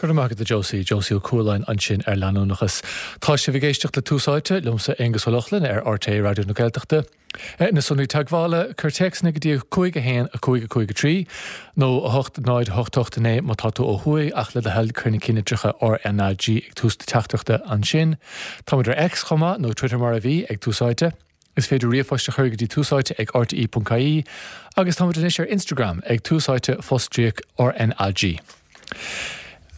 Go raibh maith agat a Josie, Josie Ó Cualáin ansin ar leanúnachas. Tá sibh ag éisteacht le Tús Áite, liomsa Aonghus Ó Lochlainn ar RTÉ Raidió na Gaeltachta. Na sonraí teagmhála, cuir téacsanna go dtí 5 1 5 5 3 nó 8 0 8 8 9 má tá tú ó thuaidh ach le do thoil cuir na ceannlitreacha RnaG ag tús na teachtaireachta ansin. Táimid ar X chomh maith, nó Twitter mar a bhí, ag Tús Áite. Is féidir ríomhphost a chur go dtí túsáite ag rte.ie agus táimid anois ar Instagram ag túsáite fostríoc RnaG.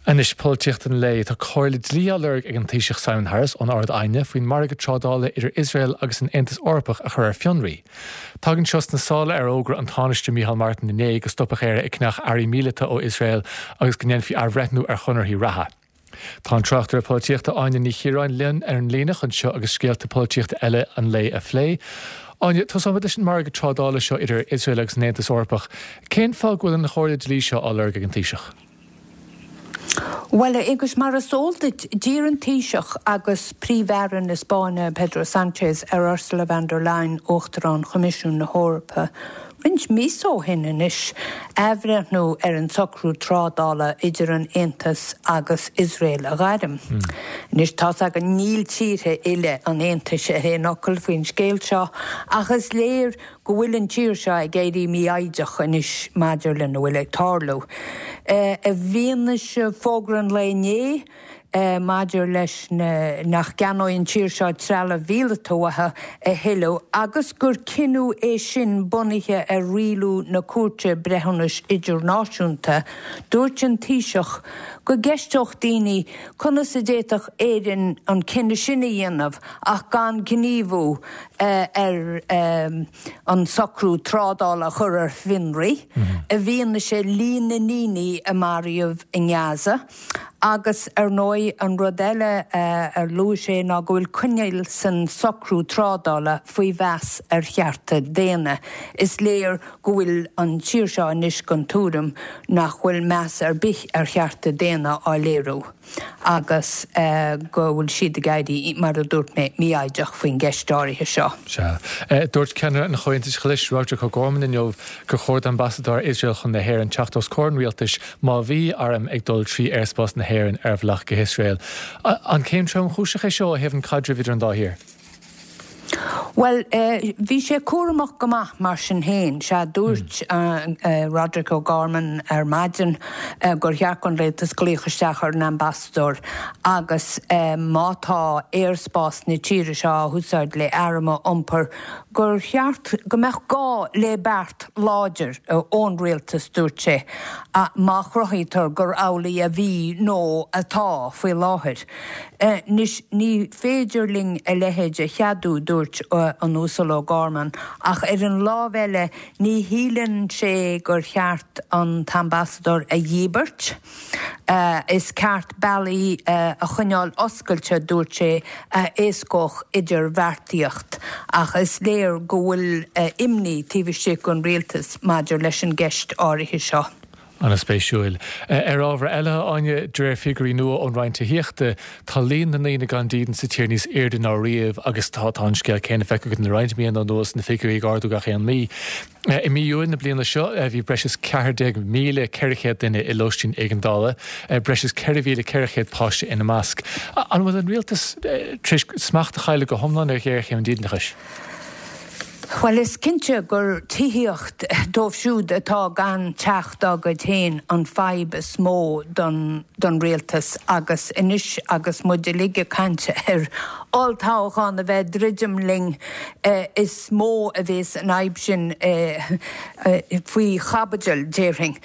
Anois, polaitíocht an lae. Tá comhairle dlí á lorg ag an Taoiseach Simon Harris ón Ard-Aighne faoin margadh trádála idir Iosrael agus an Aontas Eorpach a chur ar fionraí. Tagann seo sna sála ar fhógra an Tánaiste Micheál Martin inné go stopfadh Éire ag ceannach earraí míleata ó Iosrael agus go ndéanfaí athbhreithniú ar chonarthaí reatha. Tá an tráchtaire polaitíochta Áine Ní Chiaráin linn ar an líne chun seo agus scéalta polaitíochta eile an lae a phlé. Áine, tosóimid leis an margadh trádála seo idir Iosrael agus an Aontas Eorpach. Cén fáth go bhfuil an chomhairle dlí seo á lorg ag an Taoiseach? Bhuel, a Aonghuis, mar is eol duit, d'iarr an Taoiseach agus Príomh-Aire na Spáinne, Pedro Sánchez, ar Ursula von der Leyen, Uachtarán Choimisiún na hEorpa, Roinnt míosa ó shin anois, athbhreithniú ar an socrú trádála idir an Aontas agus Iosrael a ghairm. Anois, tá's againn, níl tíortha uile an Aontais ar aon fhocal faoin scéal seo, ach is léir go bhfuil an tír seo ag éirí mífhoighdeach anois maidir lena bhfuil ag tarlú. I bhfianaise fógra an lae inné, maidir leis na nach gceannóidh an tír seo trealamh mhíleata uathu a thuilleadh agus gur cinneadh é sin bunaithe ar rialú na Cúirte Breithiúnais Idirnáisiúnta, dúirt an Taoiseach go gceisteodh daoine conas a d'fhéadfadh Éirinn an cinneadh sin a dhéanamh ach gan gníomhú ar an socrú trádála a chur ar fionraí i bhfianaise líon na ndaoine a maraíodh i nGaza. Agus, ar ndóigh, an rud eile ar luaigh sé ná go bhfuil coinníoll san socrú trádála faoi mheas ar chearta daonna. Is léir go bhfuil an tír seo anois den tuairim nach bhfuil meas ar bith ar chearta daonna á léiriú agus go bhfuil siad ag éirí, mar a dúirt mé, mífhoighdeach faoin gceist áirithe seo. Sea. Dúirt ceannaire an Chomhaontais Ghlais, Roderic O'Gorman inniu gur chóir d'ambasadóir Iosrael chun na hÉireann teacht os comhair an rialtais má bhí airm ag dul trí aerspás na hÉireann ar a bhealach go hIosrael. An céim tromchúiseach é seo ó thaobh an caidrimh idir an dá thír? Bhuel, bhí sé cúramach go maith mar sin féin. Sea, dúirt Roderic O'Gorman ar maidin gur cheart don rialtas glaoch isteach ar an ambasadóir agus má tá aerspás na tíre seo á húsáid le airm a iompar, gur cheart go mbeadh gá le beart láidir ón rialtas, dúirt sé, má chruthaítear gur amhlaidh a bhí nó atá faoi láthair. Anois, ní féidir linn a leithéid a cheadú, dúirt an Uasal O'Gorman, ach ar an lámh eile ní shíleann sé gur cheart an t-ambasadóir a dhíbirt. Is ceart bealaí a choinneáil oscailte, dúirt sé, a éascódh idirbheartaíocht, ach is léir go bhfuil imní taobh istigh den rialtas maidir leis an gceist áirithe seo. An-spéisiúil. Ar ábhar eile, a Áine, de réir figiúirí nua ón Roinn Tithíochta, tá líon na ndaoine gan dídean sa tír níos airde ná riamh agus tá an scéal céanna feicthe againn le roinnt míonna anuas, na figiúirí ag ardú gach aon mí. I mí Iúil na bliana seo, bhí breis is 14,400 duine i lóistín éigeandála, breis is 4,400 páiste ina measc. An bhfuil an rialtas tar éis smacht a chailleadh go hiomlán ar ghéarchéim an dídeanachais? Bhuel, is cinnte gur tithíocht dóibh siúd atá gan teach dá gcuid féin an fadhb is mó don don rialtas agus anois agus muid uilig ag caint ar olltoghchán a bheith ag druidim linn, is mó a bhéas an fhadhb sin faoi chaibidil, déarfainn.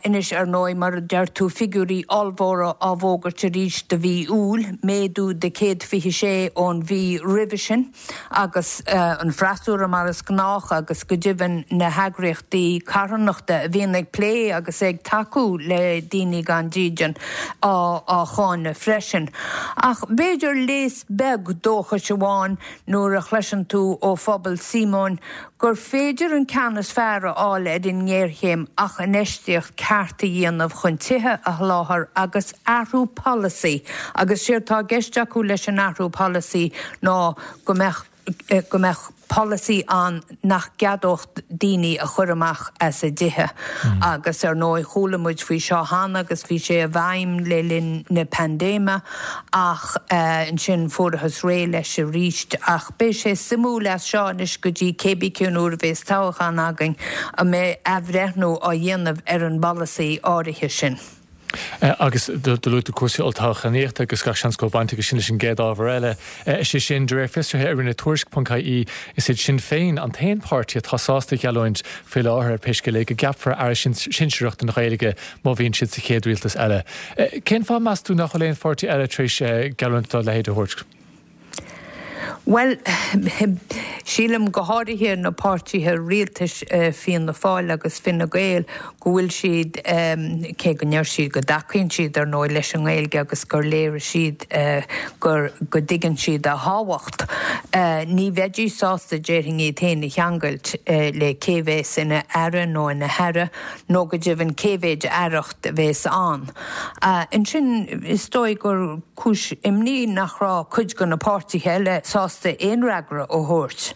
Anois, ar ndóigh, mar a deir tú, figiúirí ollmhóra á bhfógairt arís do mhí Iúil, méadú de 126 ón mhí roimhe sin. Agus an freasúra mar is gnách agus go deimhin na heagraíochtaí carthanachta a bhíonn ag plé agus ag tacú le daoine gan dídean á cháineadh freisin. Ach b'fhéidir léas beag dóchais amháin nuair a chloiseann tú ó phobal Síomóin gur féidir an ceann is fearr a fháil ar an ngéarchéim ach infheistíocht ceart a dhéanamh chun tithe a sholáthar agus athrú polasaí agus séard tá i gceist acu leis an athrú polasaí ná go mbeadh go mbeadh. polasaí ann nach gceadódh daoine a chur amach as a dtithe agus ar ndóigh chuala muid faoi seo cheana agus bhí sé i bhfeidhm le linn na paindéime ach ansin fuarathas réidh leis arís. Ach beidh sé suimiúil as seo anois go dtí cébí cén uair a bhéas toghchán againn an mbeidh athbhreithniú á dhéanamh ar an bpolasaí áirithe sin. Agus do luaigh tú cúrsaí olltoghchánaíochta agus gach seans go bhfuil baint aige sin leis an gcéad ábhar eile. Is é sin, de réir fiosraithe a rinne Tuairisc.ie, is iad Sinn Féin an t-aon pháirtí atá sásta a gheallúint faoi láthair, ar pé scéal é, go gceapfar aire sinsearach don Ghaeilge má bhíonn siad sa chéad rialtas eile. Cén fáth, meas tú, nach bhfuil aon pháirtí eile tar éis geallúint dá leithéid a thabhairt? Bhuel, sílim, go háirithe na páirtithe rialtais, Fianna Fáil agus Fine Gael, go bhfuil siad, cé go ndeir siad go dtacaíonn siad, ar ndóigh, leis an nGaeilge agus gur léirigh siad gur, go dtuigeann siad a thábhacht, ní bheidís sásta, déarfainn, iad féin a cheangailt le cé bhéas ina aire nó ina haire, nó go deimhin cé mhéid aireacht a bhéas ann. Ansin, is dóigh gur cúis imní nach raibh cuid de na páirtithe eile sásta aon fhreagra a thabhairt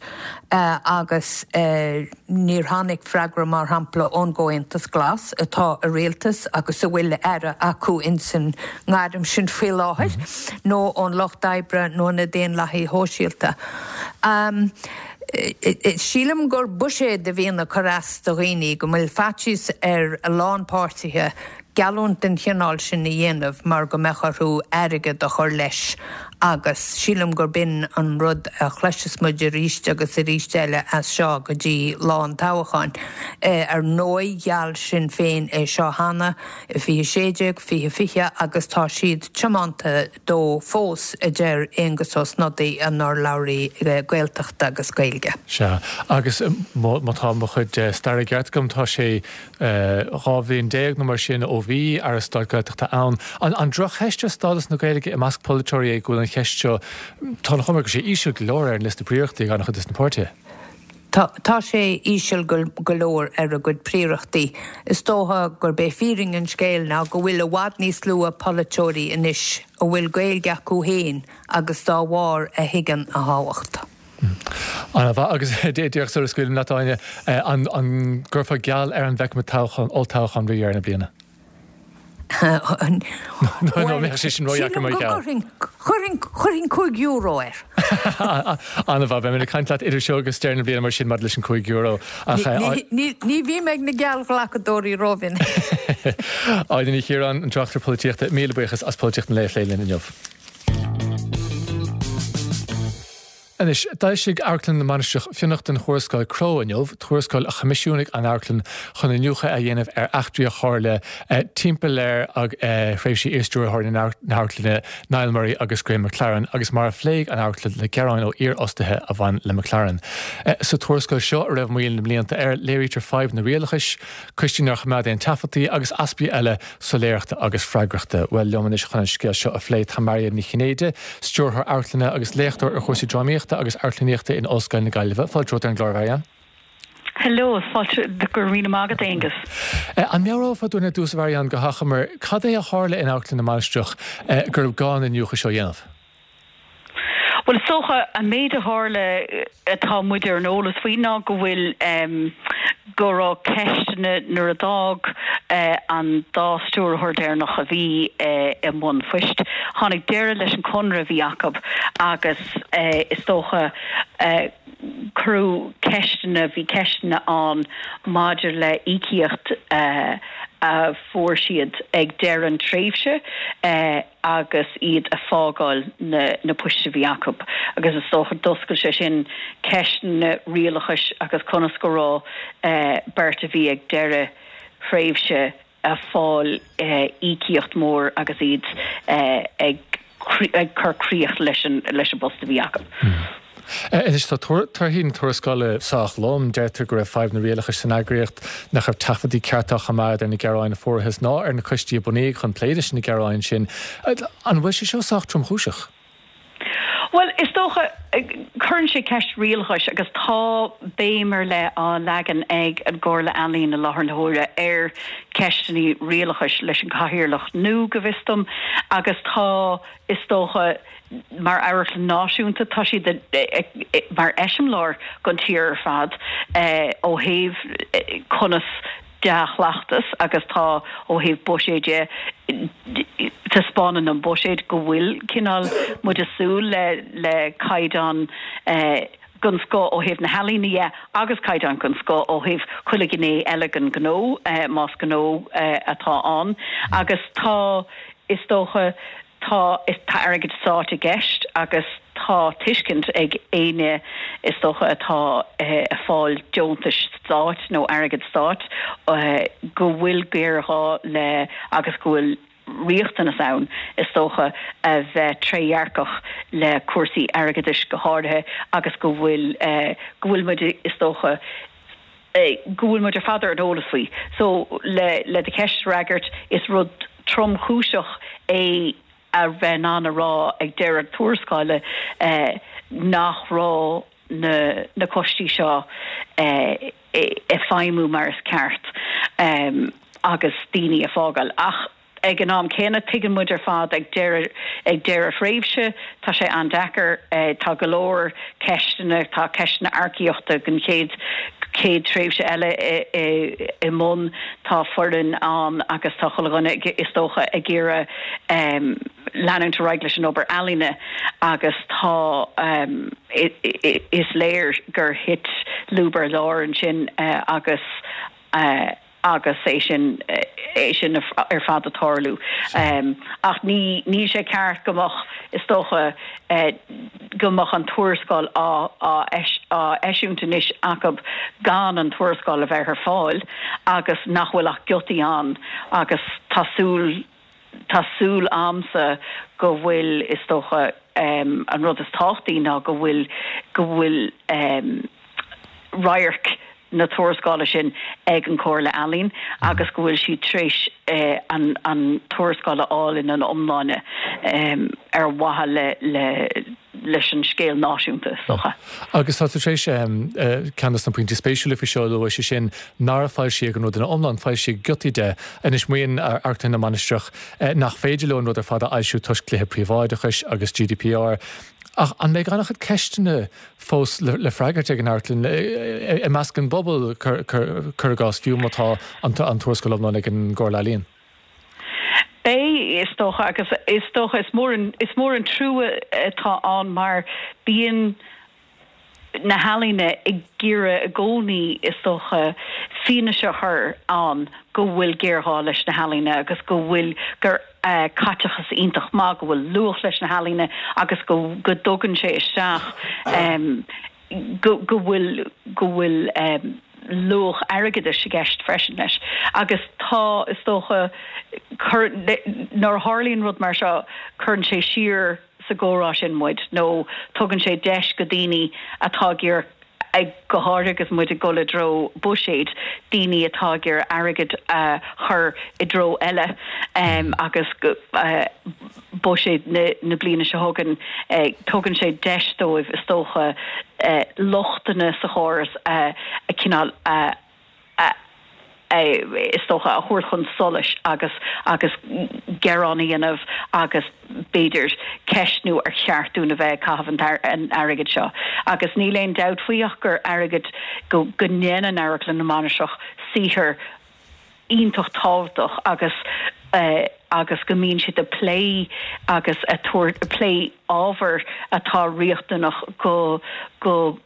agus níor tháinig freagra, mar shampla, ón gComhaontas Glas, atá i rialtas agus a bhfuil aire acu insan ngairm sin faoi láthair, nó ón Lucht Oibre nó na Daonlathaithe Shóisialta. Sílim gur buiséad a bhíonn ag cur as do dhaoine, go bhfuil faitíos ar a lán páirtithe geallúint den chineál sin a dhéanamh mar go mbeadh orthu airgead a chur leis agus sílim gurb in an rud a chloisfeas muid arís agus arís eile as seo go dtí lá an toghcháin. Ar ndóigh gheall Sinn Féin é seo cheana i 2016, 2020 agus tá siad tiomanta dó fós, a deir Aengus Ó Snodaigh, an urlabhraí Gaeltachta agus Gaeilge. Sea, agus má tá mo chuid staire ceart agam, tá sé 12 bhliain nó mar sin ó bhí Aire Stáit Gaeltachta ann. An droch-cheist ar stádas na Gaeilge i measc polaiteoirí é go bhfuil an cheist seo, tá an chuma air go bhfuil sé íseal go leor ar an liosta príorachtaí ag an-chuid de na páirtithe? Tá sé íseal go leor ar a gcuid príorachtaí. Is dócha gurb é fírinne an scéil ná go bhfuil i bhfad níos lú polaiteoirí anois a bhfuil Gaeilge acu féin agus dá bharr a thuigeann a thábhacht. An-mhaith. Agus díreach sula scaoilim leat, Áine, an gcuirfeá geall ar an bhfeicfimid toghchán, olltoghchán roimh dheireadh na bliana? Nó an mbeadh sé sin ródheacair mar gheall? Chuirfinn, chuirfinn €5 air. An-mhaith. Beidh mé ag caint leat idir seo agus deireadh na bliana mar sin maidir leis an €5. Ach. Ní bhím ag na geallghlacadóirí rómhinic. Áine Ní Chiaráin, an tráchtaire polaitíochta, míle buíochas as Polaitíocht an Lae a phlé linn inniu. Anois, d'fhoilsigh Amharclann na Mainistreach fionnachtain Thuarascáil Crowe inniu, tuarascáil a choimisiúnaigh an amharclann chun iniúchadh a dhéanamh ar eachtraí a tharla timpeall ar thréimhsí iarstiúrthóirí na hamharclainne Niall Murray agus Graham McLaren agus mar a phléigh an amharclann le gearáin ó iarfhostaithe a bhain le McLaren. Sa tuarascáil seo, a raibh moill na mblianta air, léirítear fadhbanna rialachais, coistí nár choimeád aon taifeadtaí agus easpaí eile soiléireachta agus freagrachta. Bhuel, liom anois chun an scéal seo a phlé tá Mairéad Ní Chinnéide, stiúrthóir amharclainne agus léachtóir ar chúrsaí drámaíochta agus amharclannaíochta in Ollscoil na Gaillimhe. Fáilte romhat ar an gclár, a Mharianne. Hello, fáilte, go raibh míle maith agat, Aengus. An meabhrófá dúinn ar dtús, a Mharianne, go hachomair, cad é a tharla in Amharclann na Mainistreach gurbh gá an iniúchadh seo a dhéanamh? Bhuel, is dócha, an méid a tharla atá muid ar an eolas faoi ná go bhfuil, go raibh ceisteanna nuair a d'fhág an dá stiúrthóir deireanach a bhí i mbun phoist, tháinig deireadh leis an conradh a bhí acu agus is dócha cuireadh ceisteanna, bhí ceisteanna ann maidir le íocaíocht a fuair siad ag deireadh an tréimhse. agus iad a fágáil na poist a bhí acu agus is dócha d'oscail sé sin ceisteanna rialachais agus conas go raibh beirt a bhí ag deireadh thréimhse a fáil íocaíocht mhór agus iad ag cur críoch leis an bpost a bhí acu. Anois tá torthaí na tuarascála sách lom. Deirtear go raibh fadhbanna rialachais san eagraíocht, nach raibh taifeadtaí cearta á choimeád ar na gearáin a fuarthas ná ar na coistí a bunaíodh chun plé leis na gearáin sin. An bhfuil sé seo sách tromchúiseach? Bhuel, is dócha, cuireann sé ceist rialachais agus tá béim ar leith á leagan ag an gComhairle Ealaíon i láthair na huaire ar cheisteanna rialachais leis an gcathaoirleach nua, go bhfios dom, agus tá, is dócha, mar amharclann náisiúnta, tá siad mar eiseamláir don tír ar fad ó thaobh conas dea-chleachtas agus tá ó thaobh buiséid de, taispeánann an buiséad go bhfuil cineál muid ag súil le le caighdeán den scoth ó thaobh na healaíne dhe agus caighdeán den scoth ó thaobh chuile ghné eile den ghnó más gnó atá ann agus tá is dócha Tá, tá airgead stáit i gceist agus tá tuiscint ag éinne is dócha atá ag fáil deontais stáit nó airgead stáit go bhfuil géarghá le agus go bhfuil riachtanas ann is dócha a bheith trédhearcach le cúrsaí airgeadais go háirithe agus go bhfuil go bhfuil muid is dócha go bhfuil muid ar fad ar an eolas faoi. So, le le do cheist a fhreagairt, is rud tromchúiseach é a bheith in ann a rá ag deireadh tuarascála nach raibh na na coistí seo ag feidhmiú mar is ceart agus daoine ag fágáil. Ach Ag an am céanna, tuigeann muid ar fad ag deireadh ag deireadh thréimhse, tá sé an-deacair, tá go leor ceisteanna, tá ceisteanna earcaíochta don chéad chéad tréimhse eile i mbun, tá foireann ann agus tá chuile dhuine, is dócha, ag iarraidh leanúint ar aghaidh leis an obair ealaíne agus tá is léir gur thit lúb ar lár ansin agus agus é sin, é sin ar fad ag tarlú. Ach ní, níl sé ceart go mbeadh, is dócha, go mbeadh an tuarascáil á, á, á eisiúint anois acu gan an tuarascáil a bheith ar fáil agus nach bhfuil ach giotaí ann agus tá súil, Tá súil a'msa go bhfuil, is dócha, an rud is tábhachtaí ná go bhfuil, go bhfuil radharc na tuarascála sin ag an Chomhairle Ealaíon agus go bhfuil siad tar éis an, an tuarascáil a fháil ina iomláine ar mhaithe le, le, leis an scéal náisiúnta, is dócha. Agus tá tú tar éis ceann de na pointí spéisiúla faoi seo a lua, sé sin nár foilsíodh an rud ina iomlán, foilsíodh giotaí de. Anois maíonn Amharclann na Mainistreach nach féidir leo an rud ar fad a fhoilsiú toisc dlíthe príobháideachais agus GDPR. Ach an mbeidh an-chuid ceisteanna fós le freagairt ag an amharclann i measc an bpobal, cuir i gcás, fiú má tá an tuarascáil iomlán ag an gComhairle Ealaíon? Beidh, is dócha, agus is dócha is mór an, is mór an trua atá ann mar bíonn na healaíona ag iarraidh i gcónaí, is dócha, fianaise a chur ann go bhfuil géarghá leis na healaíona agus go bhfuil, gur caiteachas iontach maith, go bhfuil luach leis na healaíona agus go, go dtugann sé isteach go bhfuil, go bhfuil luach airgeadais i gceist freisin leis. Agus tá, is dócha, cur, nuair a tharlaíonn rud mar seo, cuireann sé siar sa gcomhrá sin muid nó tugann sé deis go daoine atá ag iarraidh, go háirithe agus muid ag dul i dtreo buiséid, daoine atá ag iarraidh airgead a chur i dtreo eile agus buiséad na bliana seo chugainn, tugann sé deis dóibh, is dócha, lochtanna sa chóras a chineál a, is dócha, a thabhairt chun solais agus agus gearán a dhéanamh agus b'fhéidir ceistniú ar cheart dúinn a bheith ag caitheamh an airgid seo. Agus níl aon dabht faoi ach gur airgead, go ndéanann Amharclann na Mainistreach saothar iontach tábhachtach agus agus go mbíonn siad ag plé agus ag tabhairt ag plé ábhair atá riachtanach go go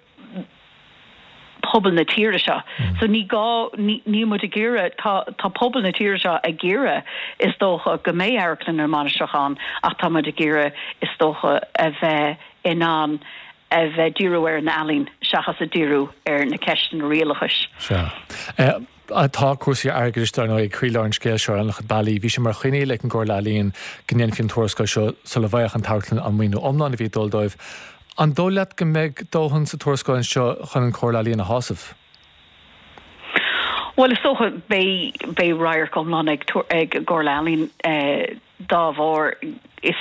pobal na tíre seo. So ní gá níl muid ag iarraidh tá tá pobal na tíre seo ag iarraidh is dócha go mbeidh Amharclann na Mainistreach ann ach tá muid ag iarraidh is dócha a bheith in ann a bheith ag díriú ar an ealaín seachas ag díriú ar na ceisteanna rialachais. Sea. Tá cúrsaí airgeadais, dar ndóigh, ag croílár an scéil seo ar an-chuid bealaí. Bhí sé mar choinníoll ag an gComhairle Ealaíon go ndéanfaí an tuarascáil seo sula bhfaigheadh an t-amharclann an maoiniú iomlán a bhí ag dul dóibh. An dóigh leat go mbeidh dóthain sa tuarascáil seo chun an Chomhairle Ealaíon a shásamh? Bhuel, is dócha, beidh, beidh radharc iomlán ag ag an gComhairle Ealaíon dá bharr. Is,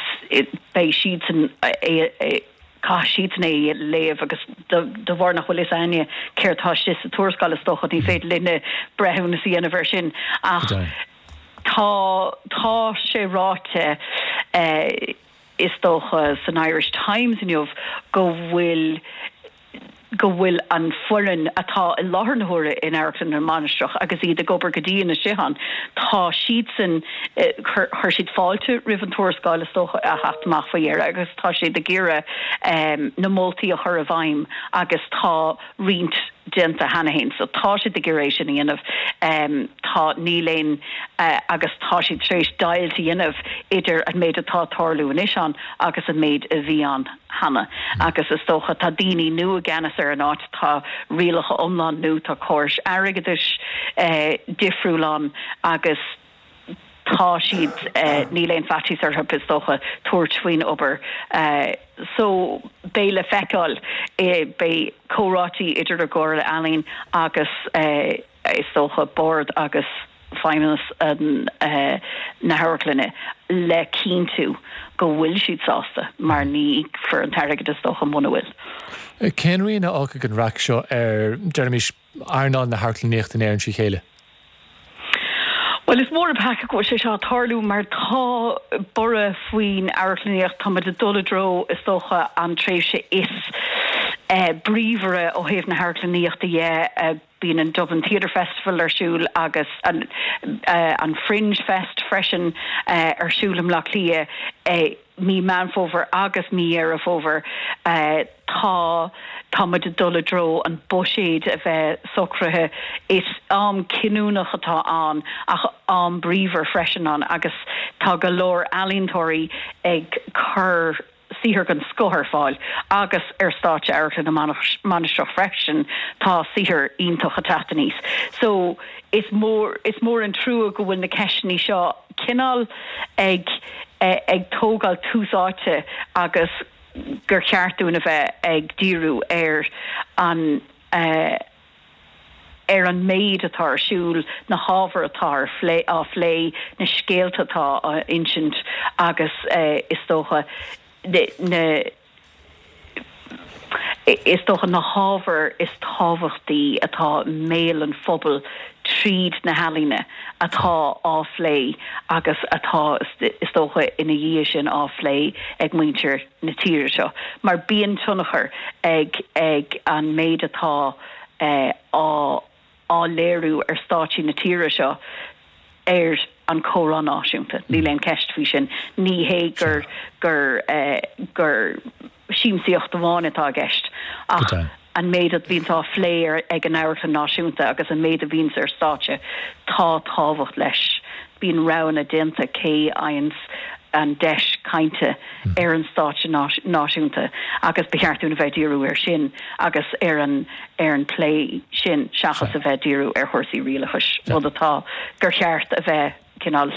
beidh siadsan, é, é. Caithfidh siadsan é a léamh agus de bharr nach bhfuil fhios a'inne céard tá istigh sa tuarascáil is dócha ní féidir linne breithiúnas a dhéanamh air sin ach tá tá sé ráite is dócha san Irish Times inniu go bhfuil go bhfuil an foireann atá i láthair na huaire in Amharclann na Mainistreach agus iad ag obair go dian istigh ann, tá siadsan, chuir siad fáilte roimh an tuarascáil is dócha a theacht amach faoi dheireadh agus tá siad ag iarraidh na moltaí a chur i bhfeidhm agus tá roinnt déanta cheana féin. So tá siad ag iarraidh é sin a dhéanamh. Tá, níl aon, agus tá siad tar éis deighilt a dhéanamh idir an méid atá ag tarlú anois ann agus an méid a bhí ann. cheana agus is dócha tá daoine nua i gceannas ar an áit, tá rialacha iomlán nua, tá córais airgeadais difriúil ann agus tá siad, níl aon faitíos orthu is dócha tabhairt faoin obair. So beidh le feiceáil, beidh comhráití idir an gComhairle Ealaíon agus. is dócha, bord agus feidhmeannas na hamharclainne le cinntiú go bhfuil siad sásta mar ní íocfar an t-airgead is dócha muna bhfuil. Cén rian a fhágfaidh an raic seo ar, deirimis, earnáil na hamharclannaíochta in Éirinn trí chéile? Bhuel, is mór an peaca go bhfuil sé seo ag tarlú mar tá borradh faoin amharclannaíocht, tá muid ag dul i dtreo, is dócha, an tréimhse is bríomhaire ó thaobh na hamharclannaíochta dhe. Bíonn an Dublin Theatre Festival ar siúl agus an Fringe Fest freisin ar siúl i mBleá Cliath mí Meán Fómhair agus mí Dheireadh Fómhair. Tá tá muid ag dul i dtreo an buiséad a bheith socraithe. Is am cinniúnach atá ann ach am bríomhar freisin ann agus tá go leor ealaíontóirí ag cur saothar den scoth ar fáil agus ar stáitse Amharclann na Mainistreach freisin tá saothar iontach ag teacht aníos. So is mór is mór an trua go bhfuil na ceisteanna seo cineál ag ag tógáil tús áite agus gur cheart dúinn a bheith ag díriú ar an ar an méid atá ar siúl, na hábhair atá ar phlé, á phlé, na scéalta atá á insint agus is dócha na is dócha na hábhair is tábhachtaí atá i mbéal an phobail tríd na healaíona atá á phlé agus atá is dócha ina dhiaidh sin á phlé ag muintir na tíre seo mar bíonn tionchar ag ag an méid atá á á léiriú ar stáitsí na tíre seo ar an chomhrá náisiúnta. Níl aon cheist faoi sin. Ní hé gur gur gur siamsaíocht amháin atá i gceist ach an méid a bhíonns á phlé ag an Amharclann Náisiúnta agus an méid a bhíonns ar stáitse, tá tábhacht leis. Bíonn roghanna déanta cé a fhaigheanns an deis cainte ar an stáitse náisiúnta agus ba cheart dúinn a bheith ag díriú air sin agus ar an ar an plé sin seachas a bheith ag díriú ar chúrsaí rialachais, rud atá gur cheart a bheith cineál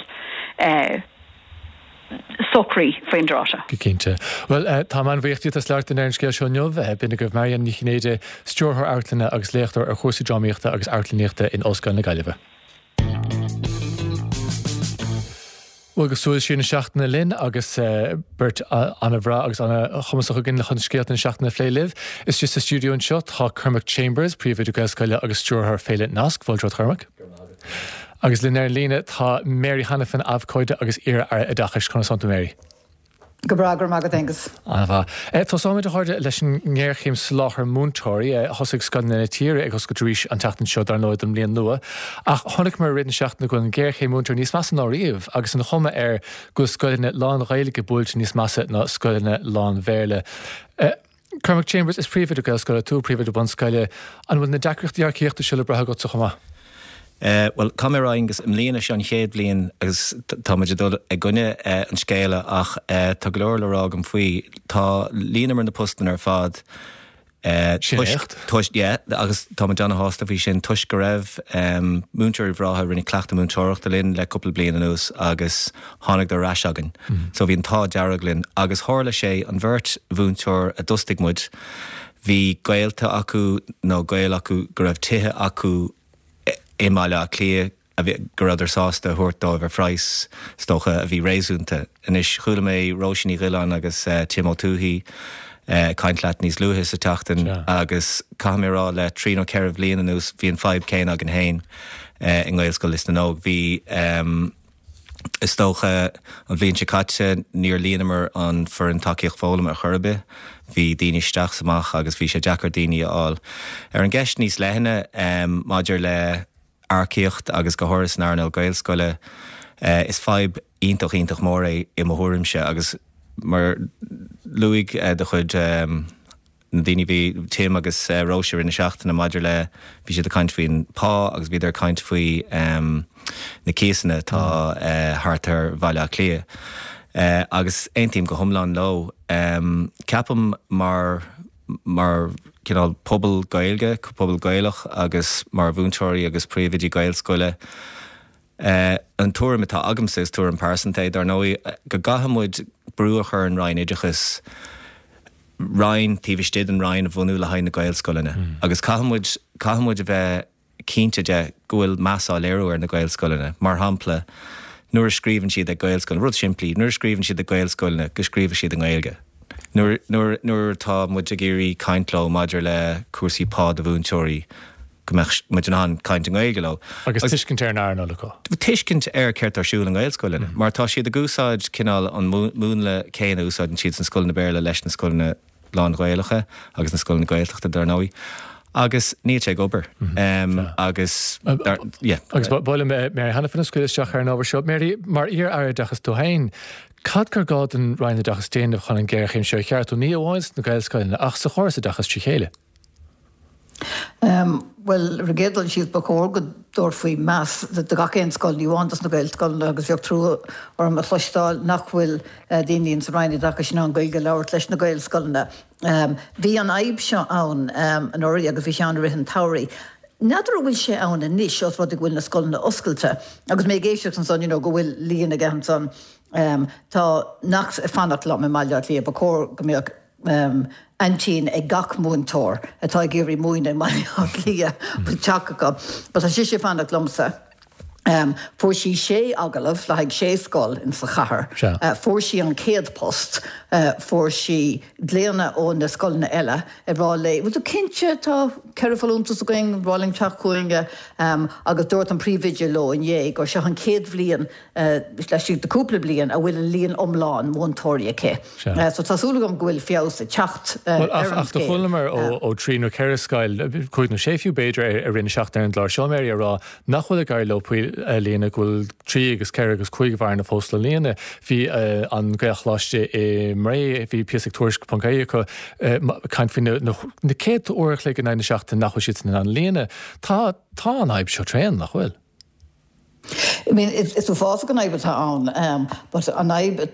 socraithe faoin dtráth seo. Go cinnte. Bhuel, táim an-bhuíoch díot as labhairt linn ar an scéal seo inniu. B'in agaibh Marianne Ní Chinnéide, Stiúrthóir Amharclainne agus léachtóir ar chúrsaí drámaíochta agus amharclannaíochta in Ollscoil na Gaillimhe. Bhuel, agus súil siar na seachtaine linn agus beirt an-bhreá agus an-chumasach againn chun scéalta na seachtaine a phlé libh. Istigh sa stiúideo anseo tá Cormac Chambers, príomhoide Gaelscoile agus stiúrthóir Féile Nasc. Fáilte romhat, a Chormaic. Agus linn ar an líne tá Mary Hanafin, abhcóide agus iar-aire oideachais. Conas tánn tú, Mary? Go breá, go raibh maith agat, Aengus. An-mhaith. Tosóimid, a chairde, leis an ngéarchéim soláthair múinteoirí. Thosaigh scoileanna na tíre ag oscailt arís an tseachtain seo, dar ndóigh, don mbliain nua. Ach chonaiceamar i rith na seachtaine go bhfuil an ghéarchéim múinteoirí níos measa ná riamh agus an chuma air go bhfuil scoileanna lán-Ghaeilge buailte níos measa ná scoileanna lán-Bhéarla. Cormac Chambers, is príomhoide Gaelscoile tú, príomhoide bunscoile. An bhfuil na deacrachtaí earcaíochta seo le brath agatsa chomh maith? Bhuel, caithfidh mé a rá, Aengus, i mbliana, seo an chéad bhliain agus tá muid ag dul i gcoinne an scéala ach tá go leor le rá agam faoi. Tá líonamar na postanna ar fad Sin éacht. Toisc, yeah, agus tá muid ana-shásta faoi sin toisc go raibh múinteoirí bhreátha a rinne cleachtadh múinteoireachta linn le cúpla bliain anuas agus thángadar ar ais againn. So bhí an t-ádh dearg linn. Agus tharla sé, an bheirt mhúinteoir a d'fhostaigh muid, bhí gaolta acu nó gaol acu go raibh tithe acu i mBaile Átha Cliath a bhí, go rabhadar sásta a thabhairt dóibh ar phraghas, is dócha, a bhí réasúnta. Anois, chuala mé Róisín Ní Ghiolláin agus Tim Ó Tuathaigh. Ag caint leat níos luaithe sa tseachtain agus caithfidh mé a rá le trí nó ceithre bhliain anuas bhí an fadhb céanna againn féin i nGaelscoil Lios na nÓg. Bhí, is dócha, an bhliain seo caite níor líonamar an foireann tacaíocht foghlama ar chor ar bith. Bhí daoine isteach is amach agus bhí sé deacair daoine a fháil. Ar an gceist níos leithne maidir le earcaíocht agus go háirithe san earnáil Gaelscoile, is fadhb iontach, iontach mór é i mo thuairimse agus mar luaigh do chuid na daoine bhí Tim agus Róise i rith na seachtaine maidir le bhí siad ag caint faoin pá agus bhíodar ag caint faoi na cíosanna atá thart ar Bhaile Átha Cliath agus aontaím go hiomlán leo. Ceapaim mar mar cineál pobal Gaeilge, pobal Gaelach agus mar mhúinteoirí agus príomhoidí Gaelscoile, an tuairim atá agamsa, is tuairim pearsanta é dar ndóigh, go gcaithfidh muid brú a chur ar an Roinn Oideachais roinn taobh istigh den Roinn a bhunú le haghaidh na Gaelscoileanna agus caithfidh muid, caithfidh muid a bheith cinnte de go bhfuil meas á léiriú ar na Gaelscoileanna. Mar shampla, nuair a scríobhann siad ag Gaelscoileanna, rud simplí, nuair a scríobhann siad ag Gaelscoileanna, go scríobhadh siad i nGaeilge. Nuair, nuair, nuair atá muid ag iarraidh caint leo maidir le cúrsaí pá do mhúinteoirí, go mbeadh muid in ann caint i nGaeilge leo. Agus tuiscint ar an earnáil acu. Tuiscint ar céard atá ar siúl i nGaelscoileanna. Mar tá siad ag úsáid cineál an múnla céanna a úsáideann siad sna scoileanna Béarla leis na scoileanna lán-Ghaelacha agus na scoileanna Gaeltachta, dar ndóigh, agus níl sé ag obair. Agus, yeah. Agus ba mhaith liom Mary Hanafin a scaoileadh isteach ar an ábhar seo. Mary, mar iar-Aire Oideachais tú féin, cad gur gá don Roinn Oideachais déanamh chun an ghéarchéim seo a cheartú, ní amháin sna Gaelscoileanna ach sa chóras oideachais trí chéile? Bhuel, ar an gcéad dul síos, ba chóir go dtabharfaí meas do gach aon scoil, ní amháin dos na Gaelscoileanna agus bheadh trua orm a chloisteáil nach bhfuil daoine ins an Roinn Oideachais in ann Gaeilge a labhairt leis na Gaelscoileanna. Bhí an fhadhb seo ann anuraidh agus bhí sé ann i rith an tsamhraidh. N'fheadar an bhfuil sé ann anois os rud é go bhfuil na scoileanna oscailte agus mé ag éisteacht ansan you know go bhfuil líon aige ansan. Tá neacht ag fanacht liom i mBaile Átha Cliath, ba chóir go mbeadh aintín ag gach múinteoir atá ag iarraidh múineadh i mBaile Átha Cliath, bhfuil teach acu. But tá sise ag fanacht liomsa. Fuair sí sé agallamh le haghaidh sé scoil in sa chathair. Fuair sí an chéad post. Fuair sí glaonna ó na scoileanna eile ag rá léi, bhfuil tú cinnte, tá ceithre folúntas againn, ba mhaith linn teacht chugainn. Agus dúirt an príomhoide leo inné gur seo an chéad bhliain laistigh de cúpla bliain a bhfuil an líon iomlán múinteoirí aici. So tá súil agam go bhfuil feabhas ag teacht ar an scéal. Ach do chualamar ó trí nó ceithre scoil, cúig nó sé fiú b'fhéidir, i rith na seachtaine ar an gclár seo, Mary, ag rá nach bhfuil ag éirí leo poist a líonadh, go bhfuil trí agus ceithre agus cúig bhearna fós le líonadh. Bhí an Gaelcholáiste i mBré, bhí píosa ag Tuairisc ponc ie acu, ag caint faoi na céadta uair a chloig in aghaidh na seachtaine nach bhfuil siadsan in ann líonadh. Tá an fhadhb seo tréan, nach bhfuil? I mean, is uafásach an fhadhb atá ann, but an fhadhb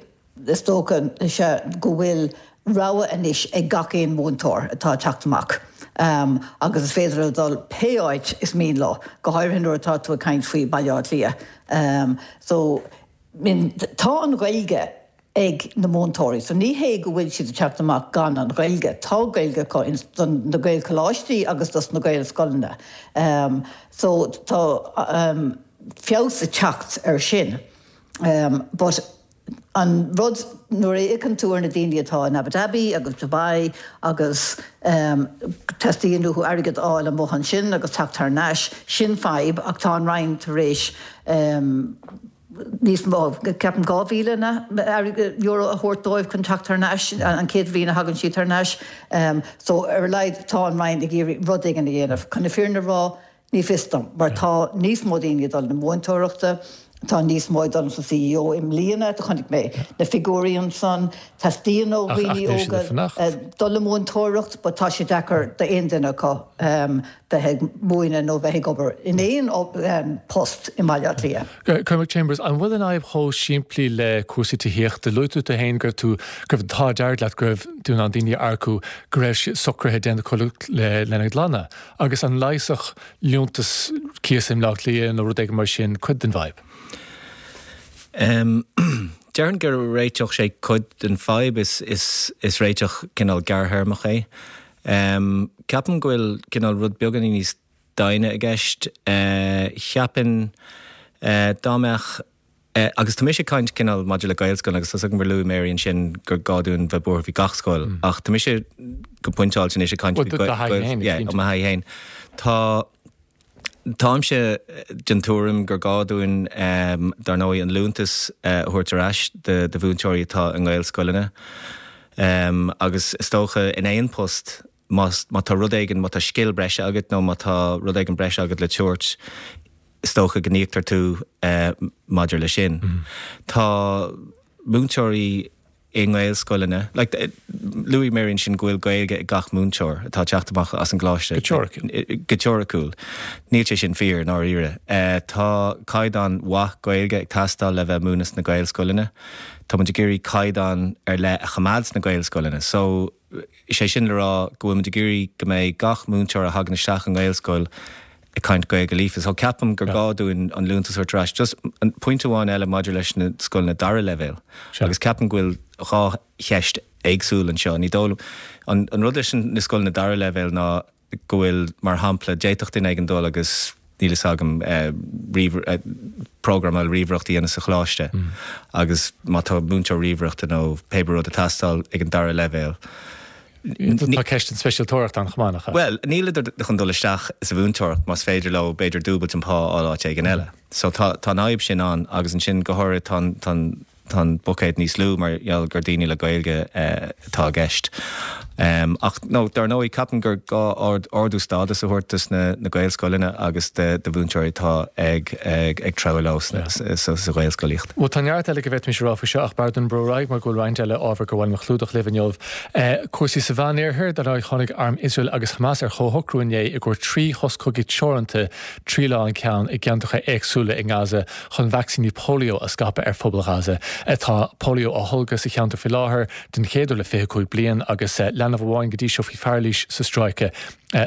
is dócha is ea go bhfuil rogha anois ag gach aon mhúinteoir atá ag teacht amach agus is féidir leo dul pé áit is mian leo, go háirithe nuair atá tú ag caint faoi Baile Átha Cliath. So, I mean, tá an Ghaeilge ag na múinteoirí. So ní hé go bhfuil siad ag teacht amach gan an Ghaeilge. Tá Gaeilge acu ins na Gaelcholáistí agus dos na Gaelscoileanna. So tá feabhas ag teacht ar sin. But an rud, nuair a fhéachann tú ar na daoine atá in Abu Dhabi agus Dubai agus teastaíonn uathu airgead a fháil amuigh ansin agus teacht thar n-ais, sin fadhb ach tá an Roinn tar éis níos mó, ceapaim 2,000 euro a thabhairt dóibh chun teacht thar n-ais, an chéad bhliain a thagann siad thar n-ais. So, ar a laghad, tá an Roinn ag iarraidh rud éigin a dhéanamh. Chun na fírinne a rá, ní fios dom, mar tá níos mó daoine ag dul na múinteoireachta, tá níos mó ag dul sa CEO i mbliana, do chonaic mé na figiúirí ansan, teastaíonn ó dhaoine óga dul le múinteoireacht, but tá sé deacair d'aon duine acu bheith ag múineadh nó bheith ag obair in aon post i mBaile Átha Cliath. Cormac Chambers, an bhfuil an fhadhb chomh simplí le cúrsaí tithíochta? Luaigh tú tú féin go raibh tú, go raibh an t-ádh dearg leat go raibh tú in ann daoine a earcú, go raibh socruithe déanta acu lena gclanna. Agus an leigheasfadh liúntas cíosa i mBleá Cliath nó rud éigin mar sin cuid den bhfadhb? Déarfainn go réiteodh sé cuid den fadhb, is réiteach cineál gearrthéarmach é. Ceapaim go bhfuil cineál rud beagáinín níos doimhne i gceist. Cheapfainn dá mbeadh. Agus tá mise ag caint cineál maidir le Gaelscoileanna agus tá 's agam gur luaigh Mary ansin gur gá dúinn bheith buartha faoi gach scoil ach tá mise go pointeáilte anois ag caint faoi Gael, yeah, ó mo thaithí féin. Tá Táimse den tuairim gur gá dúinn, dar ndóigh, an liúntas a thabhairt ar ais do mhúinteoirí atá i nGaelscoileanna. Agus is dócha, in aon post, má tá rud éigin, má tá scil breise agat nó má tá rud éigin breise agat le tabhairt, is dócha go n-íoctar tú maidir leis sin. Tá múinteoirí i nGaelscoileanna, like, luaigh Mary ansin go bhfuil Gaeilge ag gach múinteoir atá ag teacht amach as an gcoláiste. Go teoiriciúil. Go teoiriciúil. Níl sé sin fíor, i ndáiríre. Tá caighdeán mhaith Gaeilge ag teastáil le bheith ag múineadh sna Gaelscoileanna. Tá muid ag iarraidh caighdeán ar leith a choimeád sna Gaelscoileanna. So, is é sin le rá go bhfuil muid ag iarraidh go mbeidh gach múinteoir a thagann isteach i nGaelscoil ag caint Gaeilge líofa. So ceapaim gur gá dúinn an liúntas a thabhairt ar ais. Just an pointe amháin eile maidir leis na scoileanna dara leibhéal agus ceapaim go bhfuil 2 cheist éagsúil anseo. Ní dóigh liom, an rud leis na scoileanna dara leibhéal ná go bhfuil, mar shampla, d'fhéadfadh duine éigin dul agus níl fhios agam, prógramáil ríomhaireacht a dhéanamh sa choláiste agus má tá múinteoir ríomhaireachta nó pé rud ag teastáil ag an dara leibhéal, Tá ceist an speisialtóireacht ann chomh maith, nach ea? Bhuel, nílidar chun dul isteach sa mhúinteoireacht más féidir leo b'fhéidir dúbailt an pá a fháil áit éigin eile. So tá tá an fhadhb sin ann agus ansin go háirithe tá an tá an tá an buicéad níos lú mar gheall gur daoine le Gaeilge atá i gceist. Ach no, dar ndóigh, ceapaim gur gá ard ardú stádas a thabhairt dos na na Gaelscoileanna agus do do mhúinteoirí atá ag ag ag treabhadh leo sna sa sa Ghaelscolaíocht. Bhuel, tá neart eile go bhféadfaimis a rá faoi seo ach b'fhearr dúinn brú ar aghaidh mar go bhfuil roinnt eile ábhar gur mhaith liom a chlúdach libh inniu. Cúrsaí sa Mheánoirthear, dar ndóigh, tháinig arm Iosrael agus Hamas ar chomhshocrú inné i gcomhair 3 shos cogaidh teoranta, 3 lá an ceann, i gceantracha éagsúla i nGaza chun vacsaíní polio a scaipeadh ar phobal Ghaza. Tá polio á tholgadh sa cheantar faoi láthair den chéad uair le 25 bliain agus leanbh amháin go dtí seo faoi pharailís sa stráice.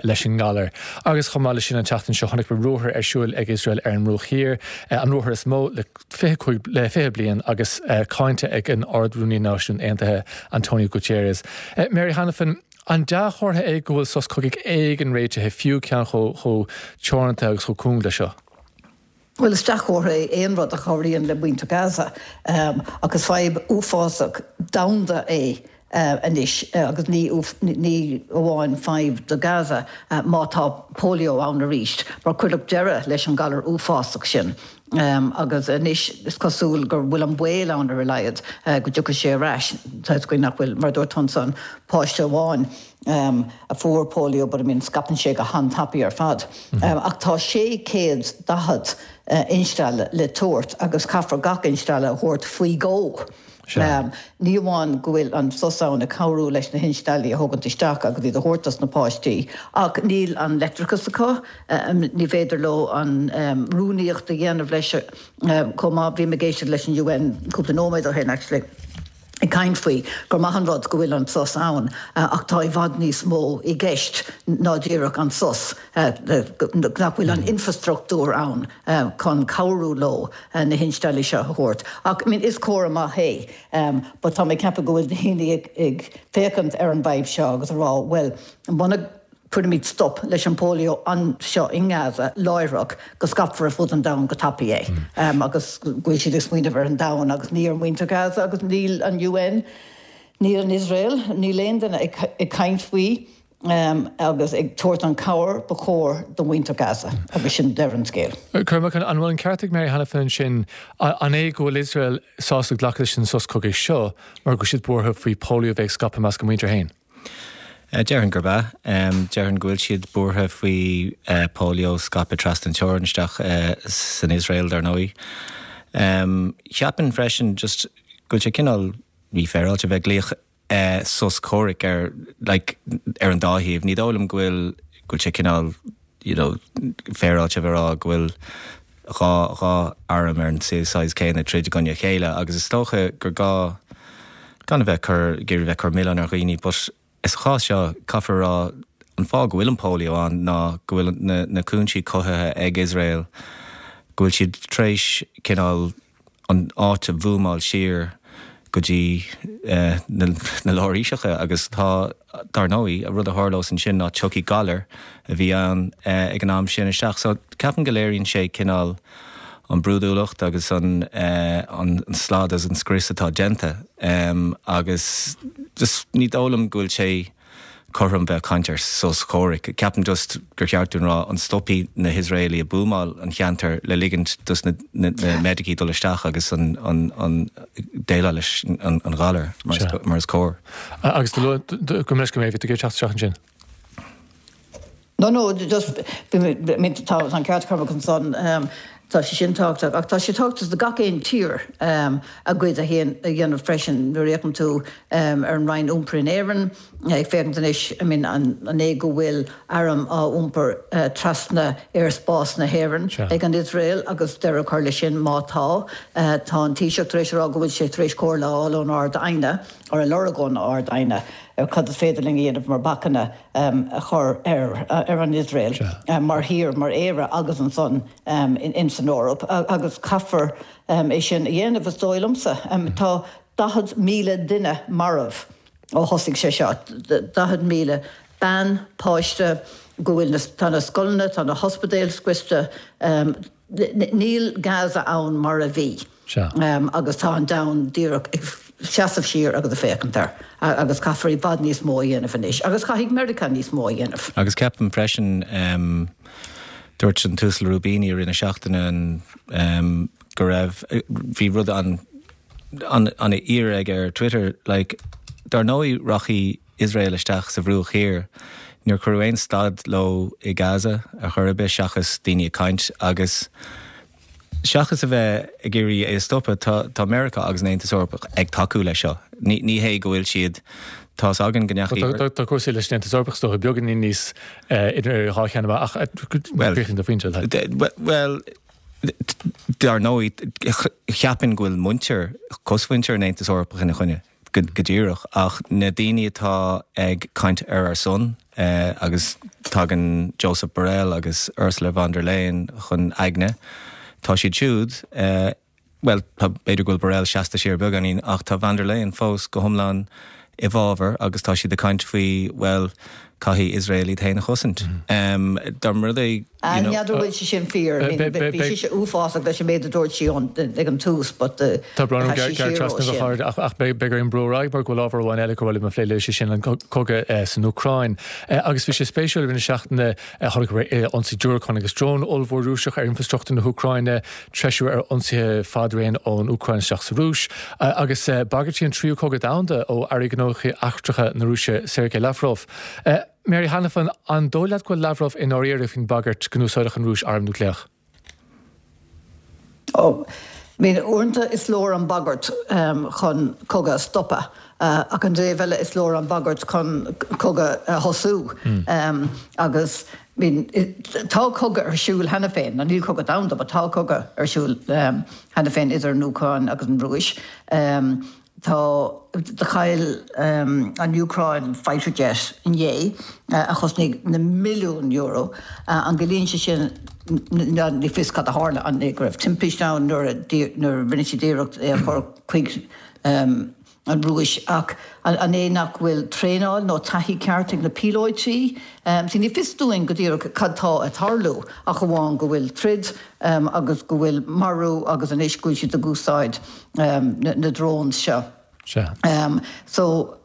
leis an ngalar. Agus chomh maith leis sin an tseachtain seo chonaic muid ruathar ar siúl ag Iosrael ar an mBruach Thiar, an ruathar is mó le 25 le 20 bliain agus cáinte ag an Ard-Rúnaí Náisiún Aontaithe Antonio Guterres. Mary Hanafin, an dea-chomhartha é go bhfuil sos cogaidh éigin réitithe, fiú ceann chomh teoranta agus chomh cúng leis seo? Bhuel, is dea-chomhartha é aon rud a chabhraíonn le muintir Gaza, ach is fadhb uafásach domhanda é anois agus ní ní amháin fadhb do Gaza má tá polio ann arís, mar cuireadh deireadh leis an galar uafásach sin agus anois is cosúil go bhfuil an baol ann ar a laghad go dtiocfaidh sé ar ais. Tá 'fhios againn nach bhfuil, mar a dúirt tusa, an páiste amháin a fuair polio but I mean scaipeann sé go han-tapaidh ar fad. Ach tá 640 instealladh le tabhairt agus caithfear gach instealladh a thabhairt faoi dhó. Ní amháin go bhfuil an sos ann ag cabhrú leis na hinsteallaí a thógaint isteach agus iad a thabhairt dos na páistí ach níl an leictreachas acu, ní féidir leo an rúnaíocht a dhéanamh leis chomh maith. Bhí mé ag éisteacht leis an UN cúpla nóiméad ó shin actually. ag caint faoi gur maith an rud go bhfuil an sos ann ach tá i bhfad níos mó i gceist ná díreach an sos, nach bhfuil an infrastruchtúr ann chun cabhrú leo na hinsteallaí seo a thabhairt. Ach I mean is comhartha maith é but tá mé ag ceapadh go bhfuil daoine ag féachaint ar an bhfadhb seo agus ag rá bhuel muna Cuirimid stop leis an polio anseo i nGaza láithreach go scaipfear ar fud an domhain go tapaidh é agus go bhfuil siad ag smaoineamh ar an domhan agus ní ar mhuintir Gaza agus níl an UN, níl an Iosrael, níl aon duine ag caint faoi agus ag tabhairt an cabhair ba chóir do mhuintir Gaza agus sin deireadh an scéil. Cormac, an bhfuil an ceart ag Mary Hanafin ansin, an é go bhfuil Iosrael sásta glacadh leis an sos cogaidh seo mar go bhfuil siad buartha faoi polio a bheith ag scaipeadh i measc a muintir féin? Déarfainn gurb ea. Déarfainn go bhfuil siad buartha faoi polio scaipeadh trasna an teorainn isteach san Iosrael, dar ndóigh. Cheapfainn freisin just go bhfuil sé cineál mífhéaráilte a bheith ag glaoch sos comhraic ar like ar an dá thaobh. Ní dóigh liom go bhfuil go bhfuil sé cineál you know féaráilte a bheith ag rá go bhfuil 2 2 arm ar an saghas céanna ag troid i gcoinne a chéile agus is dócha gur gá gan a bheith cur ag iarraidh bheith ag cur milleán ar dhaoine but sa chás seo caithfear a rá an fáth go bhfuil an polio ann ná go bhfuil na na cúinsí cothaithe ag Iosrael go bhfuil siad tar éis cineál an áit a bhuamáil siar go dtí na láraoiseacha agus tá, dar ndóigh, an rud a tharlós ansin ná tiocfaidh galar a bhí ann ag an am sin isteach. So ceapaim go léiríonn sé cineál. an brúidiúlacht agus an an slad agus an scrios atá déanta agus just ní dóigh liom go bhfuil sé cothrom bheith ag caint ar sos comhraic. Ceapaim just gur cheart dúinn rá an stopfaidh na hIosraelaigh ag buamáil an cheantair le ligint dos na meidicigh dul isteach agus an an déileáil leis an ghalar mar is cóir. Agus do luaigh go mbeidh go mbeidh tú ag teacht isteach ansin. No, no, just, I mean, tá an ceart ag Cormac ansan, tá sé sin tábhachtach, ach tá sé tábhachtach do gach aon tír a gcuid a dhéanamh freisin. Nuair a fhéachann tú ar an Roinn Iompair in Éirinn, ag féachaint anois, I mean, an é go bhfuil airm á iompar trasna aerspás na hÉireann ag an Iosrael agus deireadh a chur leis sin má tá. Tá an Taoiseach tar éis a rá go bhfuil sé tar éis comhairle a fháil ón Ard-Aighne, or a lorg ón Ard-Aighne, ar cad is féidir linn a dhéanamh mar bacanna a chur ar ar an Iosrael mar thír, mar Éire agus ansan ins an Eoraip agus caithfear é sin a dhéanamh is dóigh liomsa. Tá 40,000 duine marbh ó thosaigh sé seo, 40,000 bean, páiste, go bhfuil na, tá na scoileanna, tá na hospidéil scriosta, níl Gaza ann mar a bhí. Sea. Agus tá an domhan díreach ag seasamh siar agus ag féachaint air. Agus caithfear i bhfad níos mó a dhéanamh anois. Agus caithfidh Meiriceá níos mó a dhéanamh. Agus ceapaim freisin, dúirt an tUasal Rubini i rith na seachtaine go raibh, bhí rud an, an-fhíor aige ar Twitter, like, dar ndóigh rachaidh Iosrael isteach sa Bhruach Thiar, níor cuireadh aon stad leo i Gaza ar chor ar bith seachas daoine ag caint agus, Seachas a bheith ag iarraidh é a stopadh, tá tá Meiriceá agus an Aontas Eorpach ag tacú leis seo. Ní ní hé go bhfuil siad, tá's againn go ndeachaigh. Tá tá cúrsaí leis an Aontas Eorpach is dócha beagáinín níos idir dhá cheann ach críochnaigh do phointe. Bhuel, dar ndóigh, cheapfainn go bhfuil muintir, cosmhuintir an Aontais Eorpach ina choinne. go díreach, ach na daoine atá ag caint ar ár son, agus tagann Josep Borrell agus Ursula von der Leyen chun aigne, tá siad siúd, bhuel, tá, b'fhéidir go bhfuil Borrell seasta siar beagáinín, ach tá von der Leyen fós go hiomlán i bhfabhar agus tá siad ag caint faoi, bhuel, caithfidh Iosrael iad féin a chosaint. Dá mba rud é, you know. N'fheadar an bhfuil sé sin fíor. I mean, bhí sise uafásach leis an méid a dúirt sí ag an tús but Tá brón orm gearradh trasna a chairde ach beidh orainn brú ar aghaidh mar go bhfuil ábhar amháin eile gur mhaith liom a phlé libh, sé sin an cogadh san Úcráin. Agus bhí sé spéisiúil i rith na seachtaine chonaic muid ionsaí diúracán agus drón ollmhór Rúiseach ar infreastruchtúr na hÚcráine, treisiú ar ionsaithe fadraoin ón Úcráin isteach sa Rúis, agus bagairtí an tríú cogadh domhanda ó Aire Gnóthaí Eachtracha na Rúise Sergei Lavrov. Mary Hanafin, an dóigh leat go bhfuil Lavrov i ndáiríre faoin bhagairt go n-úsáidfeadh an Rúis arm núicléach? Ó, I mean, uaireanta is leor an bhagairt chun cogadh a stopadh, ach an taobh eile is leor an bhagairt chun cogadh a thosú. Agus, I mean, tá cogadh ar siúl cheana féin, nó níl cogadh domhanda, but tá cogadh ar siúl cheana féin idir an Úcráin agus an Rúis. Tá, do chaill an Úcráin fighter jet inné a chosnaigh na milliúin euro. An gciallaíonn sé sin, ní fios cad a tharla, an é go raibh timpiste ann nuair a rinne siad iarracht é a chur chuig an Rúis ach an é nach bhfuil traenáil nó taithí ceart ag na píolóití? See, ní fios dúinn go díreach cad tá ag tarlú ach amháin go bhfuil troid agus go bhfuil marú agus anois go bhfuil siad ag úsáid na drones seo. Sea. So,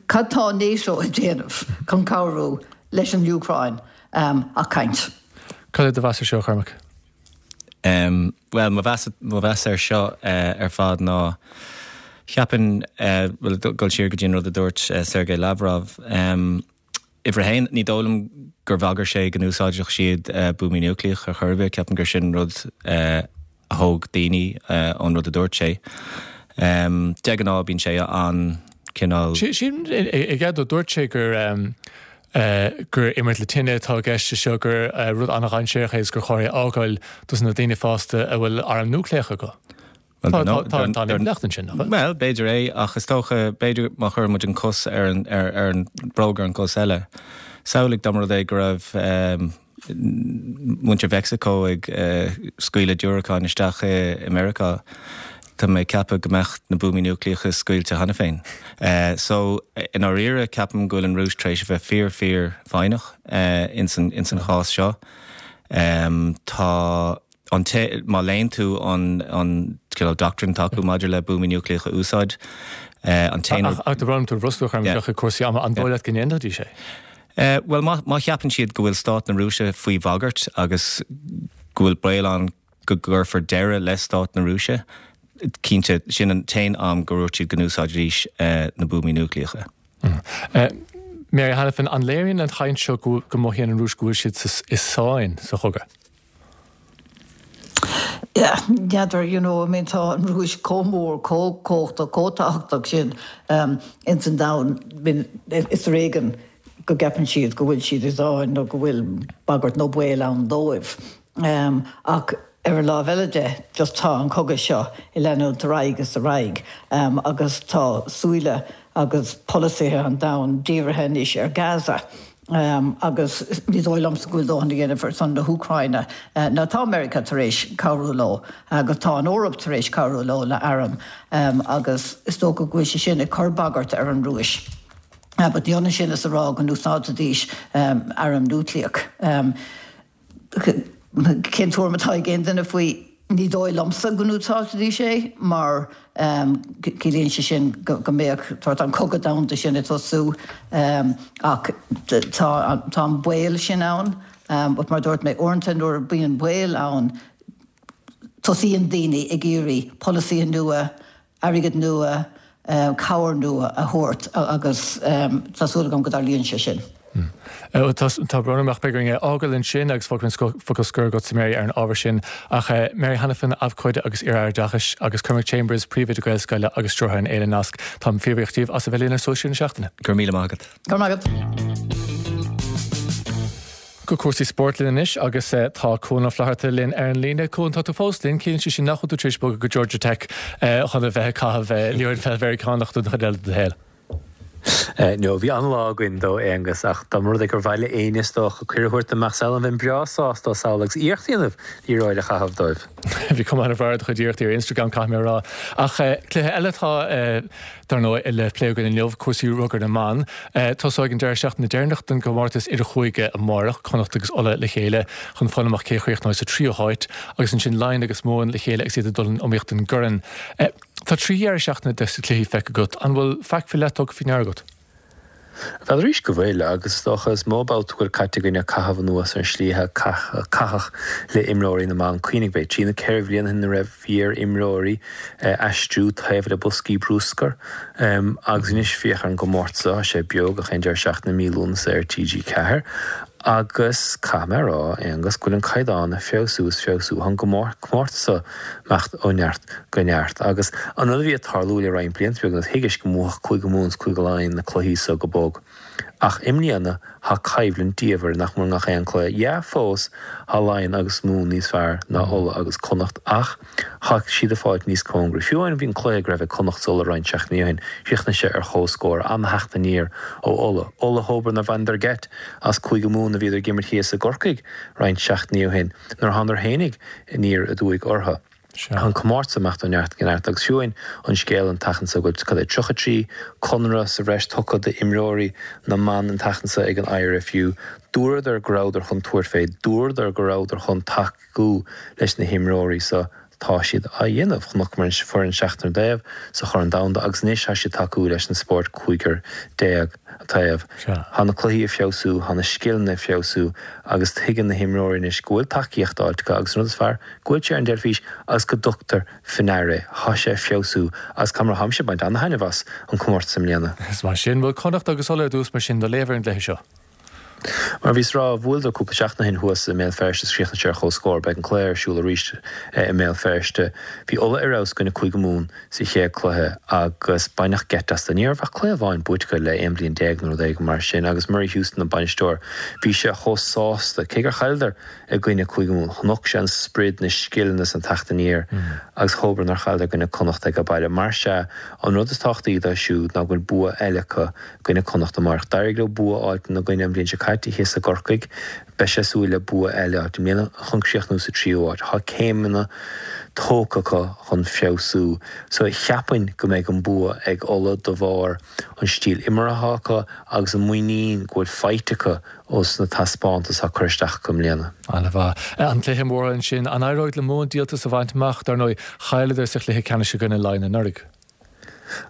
cad tá NATO ag déanamh chun cabhrú leis an Úcráin ach caint? Cad é do mheas ar seo, a Chormaic? Bhuel, mo mheas, mo mheas ar seo ar fad ná, cheapfainn, bhuel, dul siar go dtí an rud a dúirt Sergei Lavrov, Uimhir a haon, ní dóigh liom gur bhagair sé go n-úsáidfeadh siad buamaí núicléach ar chor ar bith. Ceapaim gur sin rud a thóg daoine ón rud a dúirt sé. De ghnáth bíonn sé an-chineál. Sílim i gcead dó, dúirt sé gur gur imirt le tine atá i gceist anseo, gur rud an-dhainséarach é agus gur chóir é a fhágáil dos na daoine fásta a bhfuil arm núicléach acu. Tá an impleacht ansin, nach bhfuil? Bhuel, b'fhéidir é, ach is dócha, b'fhéidir má chuireann muid an cos ar an, ar, ar an bhróg ar an gcos eile, samhlaigh dá mba rud é go raibh muintir Mheicsiceo ag scaoileadh diúracáin isteach i Meiriceá, tá mé ag ceapadh go mbeadh na buamaí núicléacha scaoilte cheana féin. So, i ndáiríre, ceapaim go bhfuil an Rúis tar éis a bheith fíor, fíor foighneach ins an, ins an chás seo. Tá. An té, má léann tú an an cineál doctrine atá acu maidir le buamaí núicléacha a úsáid, an t-aon rud. Ach tá brón orm tú a bhrostú, a Chormaic, ag cúrsaí ama, an dóigh leat go ndéanfaidís é? Bhuel, má má cheapann siad go bhfuil stát na Rúise faoi bhagairt agus go bhfuil baol ann go gcuirfear deireadh le stát na Rúise, cinnte, sin an t-aon am go ndúirt siad go n-úsáidfidís na buamaí núicléacha. Mary Hanafin, an léiríonn an chaint seo go mothaíonn an Rúis go bhfuil siad i sáinn sa chogadh? Yeah, n'fheadar, you know, I mean tá an Rúis chomh mór, chomh cumhachtach, chomh tábhachtach sin ins an domhan, I mean is ar éigean go gceapann siad go bhfuil siad i sáinn nó go bhfuil bagairt nó baol ann dóibh. Ach ar an láimh eile de, just tá an cogadh seo ag leanúint ar aghaidh is ar aghaidh agus tá súile agus polasaithe an domhain dírithe anois ar Gaza agus ní dóigh liomsa go bhfuil dóthain á dhéanamh ar son na hÚcráine. Now tá Meiriceá tar éis cabhrú leo agus tá an Eoraip tar éis cabhrú leo le airm agus is dócha go bhfuil sé sin ag cur bagairt ar an Rúis. But ní hionann sin is a rá go n-úsáidfidís arm núicléach. Cén tuairim atá ag aon duine faoi? Ní dóigh liomsa go n-úsáidfidís é mar ciallaíonn sé sin go mbeadh sórt an cogadh domhanda sin ag tosú ach tá an baol sin ann. But mar a dúirt mé, uaireanta nuair a bhíonn baol ann tosaíonn daoine ag iarraidh polasaithe nua, airgead nua, cabhair nua a thabhairt agus tá súil agam go dtarlaíonn sé sin. Tá brón orm ach beidh orainn é a fhágáil ansin agus fágfaidh an focal scoir agatsa Mary ar an ábhar sin. Ach Mary Hanafin, abhcóide agus iar-aire oideachais agus Cormac Chambers, príomhoide Gaelscoile agus stiúrthóir an Fhéile Nasc, táim fíorbhuíoch díobh as a bheith linn ar Suas Siar na Seachtaine. Go raibh míle maith agat. Go raibh maith agat. Go cúrsaí spóirt linn anois agus tá Cuan Ó Flatharta linn ar an líne. Cuan, tá tú fós linn, ciallaíonn sé sin nach bhfuil tú tar éis bogadh go Georgia Tech chun a bheith ag caitheamh liathróid pheil Mheiriceánach don chuid eile de do shaol. No, bhí an-lá againn dó, Aonghus, ach dá mba rud é gur mhaith le éinne is dócha cuireadh a thabhairt dom mbeadh saol ann bheinn breá sásta sall agus iarracht a dhéanamh liathróid a chaitheamh dóibh. Bhí cuma an-bhreá ar do chuid iarrachtaí ar Instagram, caithfidh mé a rá. Ach cluiche eile atá, dar ndóigh, le plé againn inniu, cúrsaí rugair na mban. Tosóidh an deireadh seachtaine deireanach den gcomórtas idirchúige amárach, Connacht agus Ulaidh le chéile chun fáil amach cé a chríochnóidh sa tríú háit, agus ansin Laighin agus Mumhain le chéile agus iad ag dul in iomaíocht don gcorn. Tá 3 dheireadh seachtaine de na cluichí feicthe agat. An bhfuil faic faoi leith tugtha faoi ndeara agat? Bhuel arís go bhfuil, agus is dócha is mó babhta go bhfuil caite againn ag caitheamh anuas ar an slí a caitheadh le imreoirí na mban. Cuimhnigh, b'fhéidir, trí nó 4 bhliain ó shin a raibh bhí ar imreoirí aistriú taobh le boscaí bruscair agus anois féach ar an gcomórtas seo, tá sé beo gach aon deireadh seachtaine mí Lúnasa ar TG4 Agus caithfidh mé a rá, Aonghus, go bhfuil an caighdeán ag feabhsú is feabhsú. Tá an comórtas seo ag imeacht ó neart go neart. Agus an rud a bhí ag tarlú le roinnt blianta beaga anuas, thuigis go mbuafadh Cúige Mumhan is Cúige Laighean na cluichí so go bog. Ach i mbliana, tá coimhlint diamhair nach mór i ngach aon cluiche. Yeah, fós, tá Laighean agus Mumhan níos fearr ná Ulaidh agus Connacht ach tá siad ag fáilt níos cóngaraí. Fiú amháin bhí an cluiche go raibh ag Connacht is Ulaidh roinnt seachtainí ó shin, chríochnaigh sé ar chomhscór, an-theacht aniar ó Ulaidh. Ulaidh thóbar nár bhaineadar geit as Cúige Mumhan a bhíodar ag imirt thíos i gCorcaigh roinnt seachtainí ó shin, nuair a thánadar fhéinig aniar aduaidh orthu. Tá an comórtas ag imeacht ó neart go neart agus fiú amháin an scéal an tseachtain seo go bhfuil cad é 33 conradh sa bhreis tugtha d'imreoirí na mban an tseachtain seo ag an IRFU, dúradar go rabhadar chun tabhairt fé, dúradar go rabhadar chun tacú tacú leis na himreoirí so tá siad á dhéanamh. Chonaiceamar an foireann seachtar an taobh sa Chorn Domhanda agus anois tá siad tacú leis an spórt cúigear déag taobh. Tá na cluichí ag feabhsú, tá na scileanna ag feabhsú agus tuigeann na himreoirí anois go bhfuil tacaíocht fáilte acu agus an rud is fearr, go bhfuil sé ar an dteilifís agus go dtugtar faoi ndeara é. Tá sé ag feabhsú agus caithfidh mé a rá, táimse ag baint ana-thaitneamh as an comórtas i mbliana. Is maith sin. Bhuel, Connacht agus Ulaidh ar dtús mar sin, do léamh ar an gcluiche seo. Mar a bhíos ag rá, bhuaileadar cúpla seachtain ó shin thuas i mBéal Feirste is chríochnaigh sé ar chomhscór. Beidh an cluiche ar siúl arís i mBéal Feirste. Bhí Ulaidh ar fheabhas i gcoinne Cúige Mumhan sa chéad cluiche agus baineadh geit astu. Ní raibh ach cluiche amháin buaite acu le 11 bliain nó rud éigin mar sin agus Murray Houston an bainisteoir, bhí sé chomh sásta. Cé gur chailleadar i gcoinne Cúige Mumhan, chonac sé an sprid, na scileanna is an teacht aniar agus dhóbair nár chailleadar i gcoinne Connacht age baile. Mar sea, an rud is tábhachtaí dóibh siúd ná go bhfuil bua eile acu gcoinne Connacht amárach. D'éirigh leo bua a fháilt ina gcoinne an bhliain seo caite. caite thíos i gCorcaigh. Beidh sé ag súil le bua eile i mbliana chun críochnú sa tríú háit. Tá céimeanna tógtha acu chun feabhsú so cheapfainn go mbeidh an bua ag Ulaidh de bharr an stíl imeartha atá acu agus an muinín go bhfuil faighte acu ós na taispeántais atá curtha isteach acu i mbliana. An-mhaith. An cluiche mór ansin, an éireoidh le Mumhain díoltas a bhaint amach? Dar ndóigh, chailleadar sa chluiche ceannais i gcoinne Laighean anuraidh.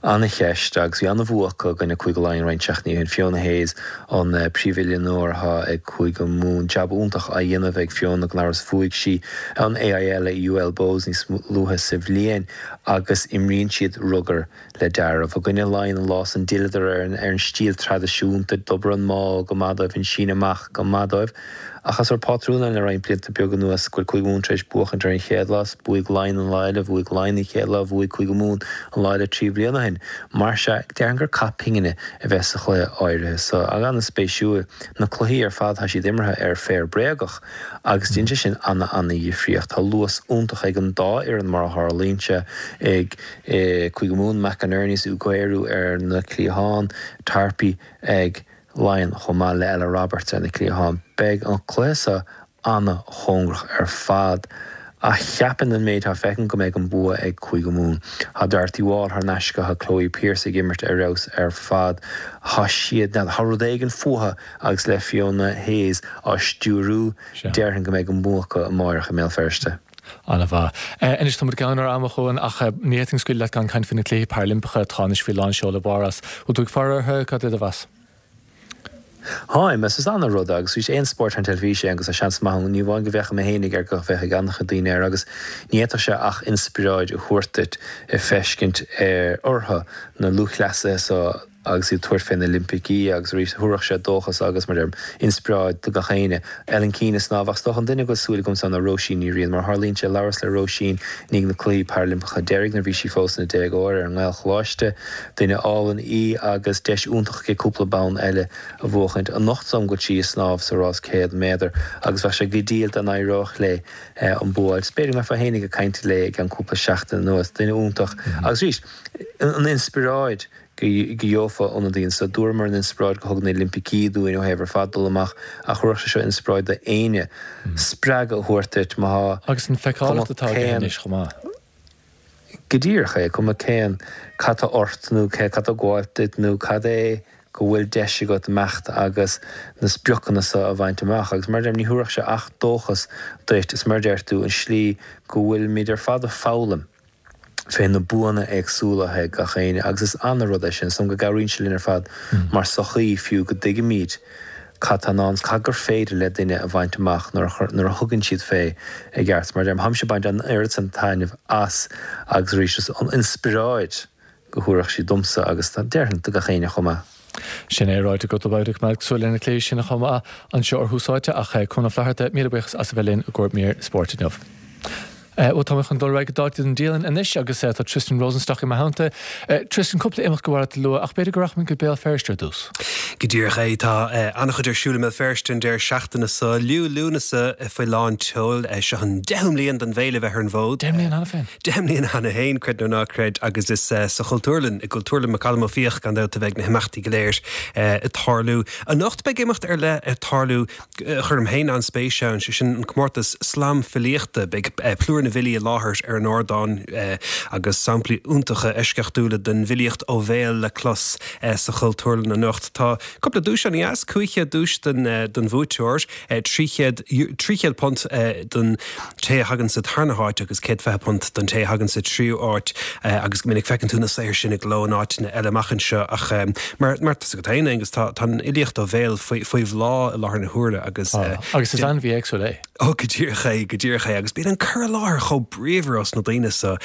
Ana-cheist, agus bhí ana-bhua acu i gcoinne Cúige Laighean roinnt seachtainí ó shin. Fiona Hayes an príomhoiliúnóir atá ag Cúige Mumhan. Jab iontach á dhéanamh ag Fiona gan amhras. Bhuaigh sí an AIL i UL Bohs níos luaithe sa bhliain agus imríonn siad rugar le dealramh. I gcoinne Laighean an lá san d'fhilleadar ar an stíl traidisiúnta, d'obair an maul go maith dóibh, an síneadh amach go maith dóibh. Ach tá sórt pátrún ann le roinnt blianta beaga anuas go bhfuil Cúige Mumhan tar éis buachaint ar an chéad lá, bhuaigh Laighin an lá eile, bhuaigh Laighin an chéad lá, bhuaigh Cúige Mumhan an lá eile 3 bhliain ó shin. Mar sea, déarfainn gur cath pingine a bheas sa chluiche áirithe so. Ach an-spéisiúil, na cluichí ar fad tá siad imeartha ar féar bréagach agus déanann sé sin ana-ana-dhifríocht. Tá luas iontach ag an dá fhoireann mar a tharlaíonn sé ag Cúige Mumhan, McInerney is Ugwueru ar na cliatháin, Tarpey ag Laighean chomh maith le Ella Roberts ar na cliatháin. Beidh an cluiche seo ana-chóngarach ar fad ach cheapfainn an méid atá feicthe agam go mbeidh an bua ag Cúige Mumhan. Tá Dorothy Wall thar n-ais acu, tá Chloe Pearse ag imirt ar fheabhas ar fad. Tá siad, n'fheadar, tá rud éigin fúthu agus le Fiona Hayes á stiúriú, déarfainn go mbeidh an bua acu amáireach i mBéal Feirste. An-mhaith. Anois tá muid gann ar am a Chuain ach ní fhéadfainn scaoileadh leat gan caint faoi na Cluichí Parailimpeacha atá anois faoi lán seoil i bPáras. Bhfuil tú ag faire orthu? Cad é do mheas? Táim, is ana-rud é agus arís aon spórt ar an teilifís é agus tá seans maith ann ní amháin go bhféachfaidh mé fhéinig air go bhféachfaidh an-chuid daoine air agus ní fhéadfadh sé ach inspioráid a thabhairt duit ag feiscint ar orthu na lúthchleasaithe so agus iad ag tabhairt fé na Oilimpicí agus arís thabharfadh sé dóchas agus, mar a deirim, inspioráid do gach éinne. Ellen Keane ag snámh ach is dócha an duine go bhfuil súil agamsa ná Róisín Ní Riain. Mar a tharlaíonn sé, labhras le Róisín i ndiaidh na Cluichí Parailimpeacha deiridh nuair a bhí sí fós ina déagóir ar an nGaelcholáiste. Duine álainn í agus deis iontach aici cúpla bonn eile a bhuachaint. Anocht is dóigh liom go bhfuil sí ag snámh sa rás 100 méadar agus bheadh sé go diail dá n-éireodh léi an bua a fháil. B'fhéidir go mbeifeá fhéinig ag caint léi i gceann cúpla seachtain anuas. Duine iontach agus arís, an inspioráid go gheofá ó na daoine so. Dúramar an inspioráid go thug na Oilimpicí dúinn ó thaobh ar fad dul amach ach thabharfadh sé seo inspioráid d'éinne, spreagadh a thabhairt duit má tá Agus an feiceálacht atá aige anois chomh maith. Go díreach é, cuma cén cad tá ort nó cé cad tá ag gabháilt duit nó cad é go bhfuil deis agat imeacht agus na spriocanna so a bhaint amach. Agus mar a deirim, ní thabharfadh sé ach dóchas duit is mar a deir tú, an slí go bhfuilimid ar fad ag foghlaim. fé na buanna éagsúla atá ag gach éinne agus is ana-rud é sin. Is dóigh liom go gcabhraíonn sé linn ar fad mar sochaí fiú go dtuigimid cad tá i ndán is cad gur féidir le duine a bhaint amach nuair a nuair a thugann siad fé i gceart. Mar a deirim, tháimse ag baint an oiread san taitneamh as agus arís is an inspioráid go thabharfadh sí domsa agus déarfainn do gach éinne chomh maith. Sin é ráite agat beidh ag coimeád súil ar na cluichí sin chomh maith anseo ar Thús Áite ach Cuan Ó Flatharta, míle buíochas as a bheith linn i gcomhair mír spóirt inniu. Bhuel tá mé chun dul ar aghaidh go dáta den dialann anois agus tá Tristan Rosenstock i mo theannta. Tristan, cúpla imeacht go mhaith leat a lua ach b'fhéidir go rachaimid go Béal Feirste ar dtús. Go díreach é, tá an-chuid ar siúl i mBéal Feirste an deireadh seachtaine seo. Liú Lúnasa faoi lán tseoil. Seo an deichiú mbliain don bhféile bheith ar an bhfód. 10 mbliana cheana féin. 10 mbliana cheana féin, creid nó ná creid, agus is sa Chultúrlann, i gCultúrlann McCallum Ó Fiaich, gan dabht, a bheidh na himeachtaí go léir ag tarlú. Anocht beidh imeacht ar leith ag tarlú a chuirim féin an-spéis ann, sé sin an comórtas Slam Filíochta. Beidh plúr na bhfilí i láthair ar an ardán agus samplaí iontacha eisceachtúla den bhfilíocht ó bhéal le clos sa Chultúrlann anocht. Tá cúpla duais ann, dheas, 500 duais don bhuaiteoir, £300 don té a thagann sa tarna háit agus £120 don té a thagann sa tríú háit agus go minic feiceann tú na saothair sin i gcló in áiteanna eile amach anseo ach mar mar tá a fhios agat féin Aengus tá tá an fhilíocht ó bhéal faoi faoi bhláth i láthair na huaire agus Agus is ainmhí éagsúil é. Ó go díreach é, go díreach é agus bíonn an cur i láthair chomh bríomhar ós na daoine so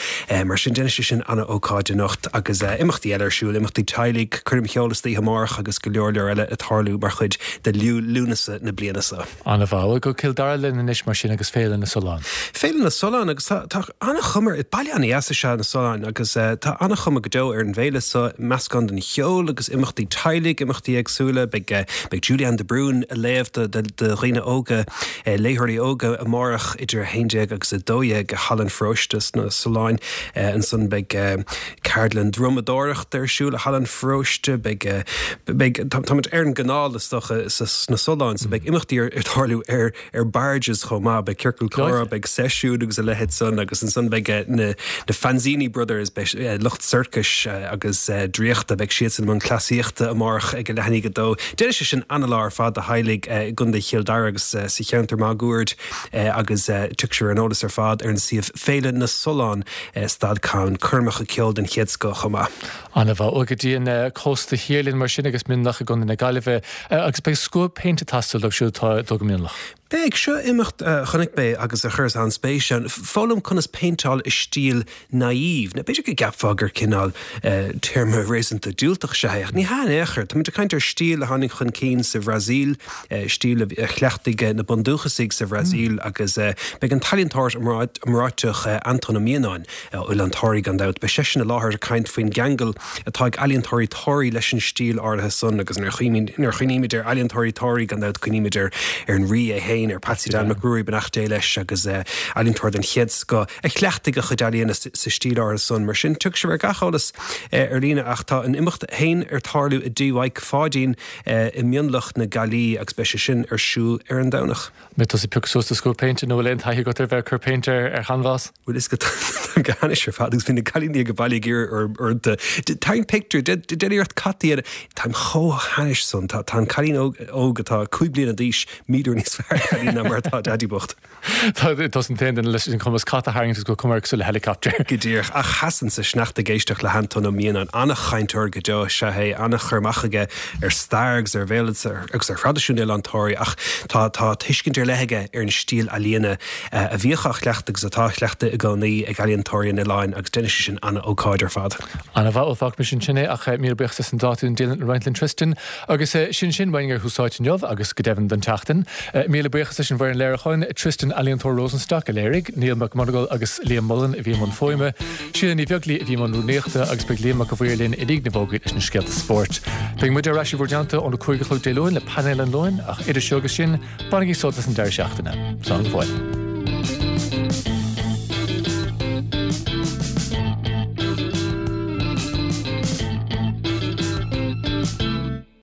mar sin déanfaidh sé sin ana-ócáid anocht agus imeachtaí eile ar siúl, imeachtaí teaghlaigh, coirm cheoil istoíche amárach agus go leor leor eile ag tarlú mar chuid de Liú Lúnasa na bliana so. An-mhaith. Bhuel, go Cill Dara linn anois mar sin agus Féile na Sollán. Féile na Sollán agus tá tá an-chuma ar, baile an-dheas is ea na Solláin agus tá an-chuma go deo ar an bhféile so, meascán den cheol agus imeachtaí teaghlaigh, imeachtaí éagsúla. Beidh beidh Julie Anne de Brún ag léamh do do do dhaoine óga, léitheoirí óga. óga amárach idir 11 agus 12 i Halla an Pharóiste sna Solláin. Ansan beidh ceardlann drumadóireachta ar siúl i Halla an Pharóiste. Beidh, beidh, táimid ar an gcanáil is dócha sna Solláin so beidh imeachtaí ar tarlú ar ar barges chomh maith. Beidh ciorcal comhrá, beidh seisiún agus a leithéid san agus ansan beidh na na Fanzini Brothers, beidh lucht sorcais agus draíochta, beidh siadsan i mbun cleasaíochta amárach ag a leath i ndiaidh a dó. Déanfaidh sé sin ana-lá ar fad do theaghlaigh i gContae Chill Dara agus sa cheantar máguaird agus tiocfaidh sibh ar an eolas ar fad ar an suíomh Féile na Sollán stad com. Coirmeacha ceoil den chéad scoth chomh maith. Ana-mhaith. Bhuel, go dtí an cósta thiar linn mar sin agus Mionlach i gContae na Gaillimhe agus beidh scuab péinte ag teastáil dóibh siúd atá ag dul go Mionlach. Beidh. Seo imeacht a chonaic mé agus a chuireas an-spéis ann. Foghlaim conas péinteáil i stíl naïve. Now b'fhéidir go gceapfá gur cineál téarma réasúnta diúltach is ea é ach ní hea in aon chor. Táimid ag caint ar stíl a tháinig chun cinn sa Bhrasaíl, stíl a chleachtaigh na bundúchasaigh sa Bhrasaíl agus beidh an t-ealaíontóir iomráiteach Antóin Ó Mianáin, Oileán Thoraí gan dabht. Beidh seisean i láthair ag caint faoin gceangal atá ag ealaíontóirí Thoraí leis an stíl áirithe san agus nuair a chuimhnímid ar ealaíontóirí Thoraí gan dabht cuimhnímid ar an Rí é féin, ar Patsy Dan Mac Ruairí, beannacht Dé leis, agus ealaíontóir den chéad scoth a chleachtaigh a chuid ealaíona sa stíl áirithe san. Mar sin, tiocfaidh sibh ar gach eolas ar líne ach tá an imeacht féin ar tarlú i dTigh Mhaidhc Pháidín i Mionlach na Gaillimhe agus beidh sé sin ar siúl ar an Domhnach. Mbeidh tusa ag piocadh suas do scuab péinte nó bhfuil aon taithí agat ar bheith ag cur péinte ar chanbhás? Bhuel is go táim go hainnis ar fad agus bhí na cailíní ag an baile ag iarraidh orm uaireanta tarraing pictiúr, déan iarracht cat a dhéanamh. Táim chomh hainnis san. Tá an cailín óg atá 5 bliana d'aois 1,000 uair níos fearr ag ealaín ná mar atá Daidí bocht. Tá tusa an t-aon duine leis an cumas cat a tharraingt agus go cuma air cosúil le helicopter. Go díreach. Ach sheasann sa sneachta ag éisteacht le hAntóin Ó Mianáin. An-chainteoir go deo is ea é, an-chur amach aige ar stair agus ar bhéaloideas agus ar thraidisiún Oileán Thoraí ach tá tá tuiscint ar leith aige ar an stíl ealaíona a bhíodh á chleachtadh agus atá á chleachtadh i gcónaí ag ealaíontóirí an oileáin agus déanfaidh sé sin an-ócáid ar fad. An-mhaith, bhuel fágfaimis ansin é ach míle buíochas as an dáta an dialann a roinnt linn Tristan. Agus sin sin uainn ar Thús Áite inniu agus go deimhin don tseachtain. Míle buíochas leis an bhfoireann léiriúcháin, Tristan Ealaíontóir Rosenstock a léirigh, Niall Mac Monagail agus Liam Mullen a bhí i mbun fuaime, Síle Ní Bheaglaoi a bhí i mbun rúnaíochta agus beidh Liam Mac a' Mhaoir linn i ndiaidh na bhfógraí leis na scéalta spóirt. Beidh muid ar ais i bhur dteannta óna 5 a chlog Dé Luain le painéal an Luain ach idir seo agus sin, bainigí sult as an deireadh seachtaine. Slán go fóill.